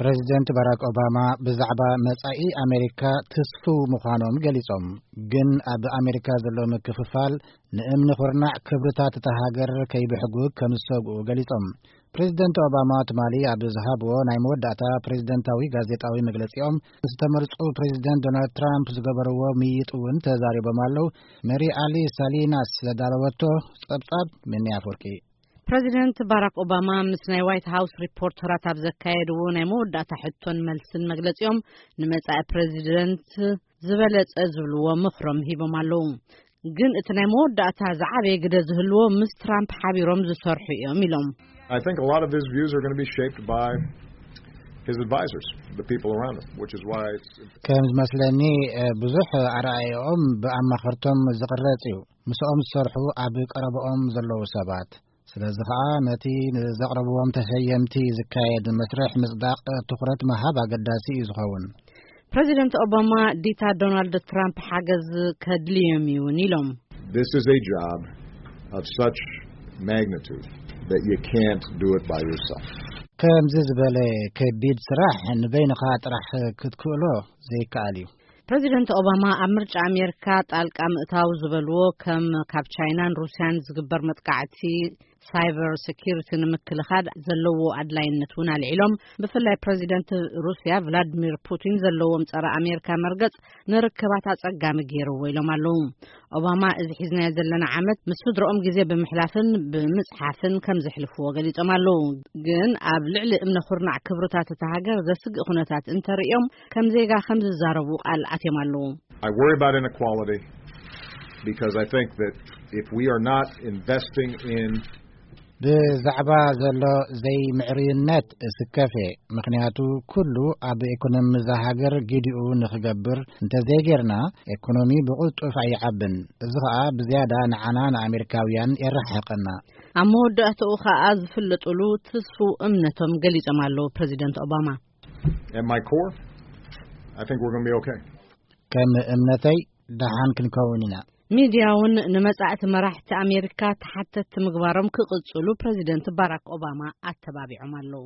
ፕሬዚደንት ባራክ ኦባማ ብዛዕባ መጻኢ ኣሜሪካ ትስፉው ምዃኖም ገሊጾም፣ ግን ኣብ ኣሜሪካ ዘሎ ምክፍፋል ንእምኒ ኩርናዕ ክብርታት እታ ሃገር ከይብሕጉ ከም ዝሰግኡ ገሊጾም። ፕሬዚደንት ኦባማ ትማሊ ኣብ ዝሃብዎ ናይ መወዳእታ ፕሬዚደንታዊ ጋዜጣዊ መግለጺኦም፣ ዝተመርጹ ፕሬዚደንት ዶናልድ ትራምፕ ዝገበርዎ ምይጥ እውን ተዛሪቦም ኣለዉ። ሜሪ ኣሊ ሳሊናስ ዘዳለወቶ ጸብጻብ፣ ምኒ ኣፍወርቂ። ፕሬዚደንት ባራክ ኦባማ ምስ ናይ ዋይት ሃውስ ሪፖርተራት ኣብ ዘካየድዎ ናይ መወዳእታ ሕቶን መልስን መግለጺኦም፣ ንመጻኢ ፕሬዚደንት ዝበለጸ ዝብልዎ ምኽሮም ሂቦም ኣለዉ። ግን እቲ ናይ መወዳእታ ዝዓበየ ግደ ዝህልዎ ምስ ትራምፕ ሓቢሮም ዝሰርሑ እዮም ኢሎም። I think a lot of his views are going to be shaped by his advisors, the people around him, which is why it's ከም ዝመስለኒ፣ እ፣ ብዙሕ ኣረኣእያኦም ብኣማኸርቶም ዝቕረጽ እዩ። ምስኦም ዝሰርሑ ኣብ ቀረባኦም ዘለዉ ሰባት። ስለዚ ኸኣ ነቲ ንዘቕረብዎም ተሸየምቲ ዝካየድ መስርሕ ምጽዳቕ ትኹረት ምሃብ ኣገዳሲ እዩ ዝኸውን። ፕሬዚደንት ኦባማ ዲታ ዶናልድ ትራምፕ ሓገዝ ከድልዮም እዩ እውን ኢሎም። This is a job of such magnitude that you can't do it by yourself. ከምዚ ዝበለ ከቢድ ስራሕ ንበይንኻ ጥራሕ ክትክእሎ ዘይከኣል እዩ። ፕሬዚደንት ኦባማ ኣብ ምርጫ ኣሜሪካ ጣልቃ ምእታው ዝበልዎ፣ ከም ካብ ቻይናን ሩስያን ዝግበር መጥቃዕቲ ሳይበር ሴኪሪቲ ንምክልኻል ዘለዎ ኣድላይነት እውን ኣልዒሎም። ብፍላይ ፕሬዚደንት ሩስያ ቭላድሚር ፑቲን ዘለዎም ጸረ ኣሜሪካ መርገጽ ንርክባት ኣጸጋሚ ገይርዎ ኢሎም ኣለዉ። ኦባማ እዚ ሒዝናዮ ዘለና ዓመት ምስ ስድረኦም ግዜ ብምሕላፍን ብምጽሓፍን ከም ዘሕልፍዎ ገሊጾም ኣለዉ። ግን ኣብ ልዕሊ እምነ ኩርናዕ ክብርታት እታ ሃገር ዘስግእ ኩነታት እንተርእዮም ከም ዜጋ ከም ዝዛረቡ ቃል ኣትዮም ኣለዉ። I worry about inequality because I think that if we are not investing in ብዛዕባ ዘሎ ዘይምዕርዩነት እስከፍ እየ። ምኽንያቱ ኩሉ ኣብ ኢኮኖሚ እዛ ሃገር ግዲኡ ንኽገብር እንተዘይጌርና፣ ኢኮኖሚ ብቕልጡፍ ኣይዓብን። እዚ ኸኣ ብዝያዳ ንዓና ንኣሜሪካውያን የረሓሕቐና። ኣብ መወዳእታኡ ኸኣ ዝፍለጡሉ ትስፉው እምነቶም ገሊጾም ኣለዉ ፕሬዚደንት ኦባማ። At my core, I think we're going to be okay. ከም እምነተይ ደሓን ክንከውን ኢና። ሚድያ እውን ንመጻእቲ መራሕቲ ኣሜሪካ ተሓተትቲ ምግባሮም ክቕጽሉ ፕሬዚደንት ባራክ ኦባማ ኣተባቢዖም ኣለዉ።